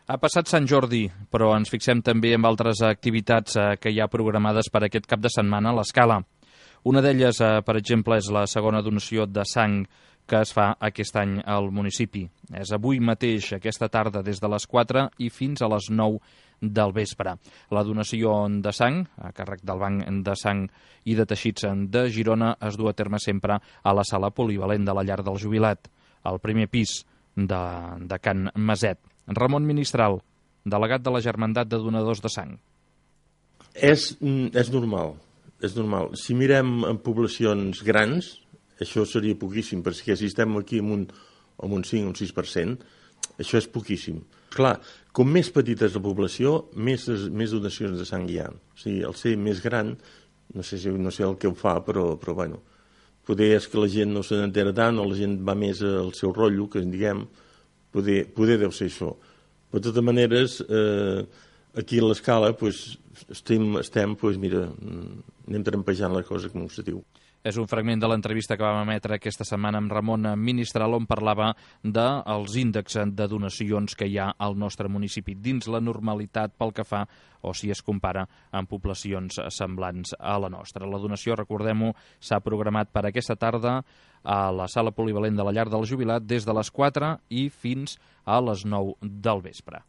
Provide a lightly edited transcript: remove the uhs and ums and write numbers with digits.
Ha passat Sant Jordi, però ens fixem també en altres activitats que hi ha programades per aquest cap de setmana a l'Escala. Una d'elles, per exemple, és la segona donació de sang que es fa aquest any al municipi. És avui mateix, aquesta tarda, des de les 4 i fins a les 9 del vespre. La donació de sang, a càrrec del Banc de Sang i de Teixits de Girona, es du a terme sempre a la sala polivalent de la Llar del Jubilat, al primer pis de Can Maset. Ramon Ministral, delegat de la Germandat de Donadors de Sang. És normal, és normal. Si mirem en poblacions grans, això seria poquíssim, perquè si estem aquí amb un 5 o un 6%, això és poquíssim. Clar, com més petita és la població, més donacions de sang hi ha. O sigui, al ser més gran, no sé el que ho fa, però bueno, poder és que la gent no se n'entera tant o la gent va més al seu rotllo, que en diguem, poder deu ser això. Però de totes maneres, aquí a l'Escala estem, mira, anem trampejant la cosa, com se diu. És un fragment de l'entrevista que vam emetre aquesta setmana amb Ramon Ministral, on parlava dels índexs de donacions que hi ha al nostre municipi dins la normalitat pel que fa o si es compara amb poblacions semblants a la nostra. La donació, recordem-ho, s'ha programat per aquesta tarda a la sala polivalent de la Llar del Jubilat des de les 4 i fins a les 9 del vespre.